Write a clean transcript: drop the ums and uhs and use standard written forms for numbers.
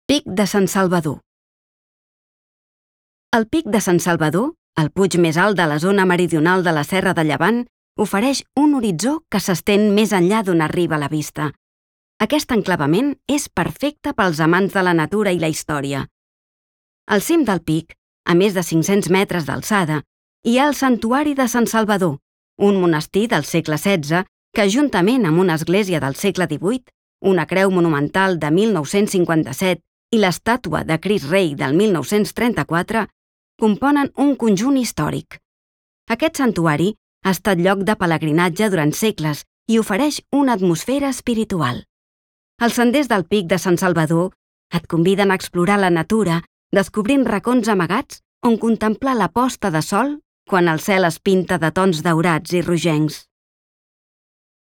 Pic de Sant Salvador. El Pic de Sant Salvador, el puig més alt de la zona meridional de la Serra de Llevant, ofereix un horitzó que s'estén més enllà d'on arriba la vista. Aquest enclavament és perfecte pels amants de la natura i la història. Al cim del pic, a més de 500 metres d'alçada, hi ha el Santuari de Sant Salvador, un monestir del segle XVI que, juntament amb una església del segle XVIII, una creu monumental de 1957 i l'estàtua de Crist Rei del 1934, componen un conjunt històric. Aquest santuari ha estat lloc de pelegrinatge durant segles i ofereix una atmosfera espiritual. Els senders del Pic de Sant Salvador et conviden a explorar la natura, descobrint racons amagats on contemplar la posta de sol quan el cel es pinta de tons daurats i rogencs.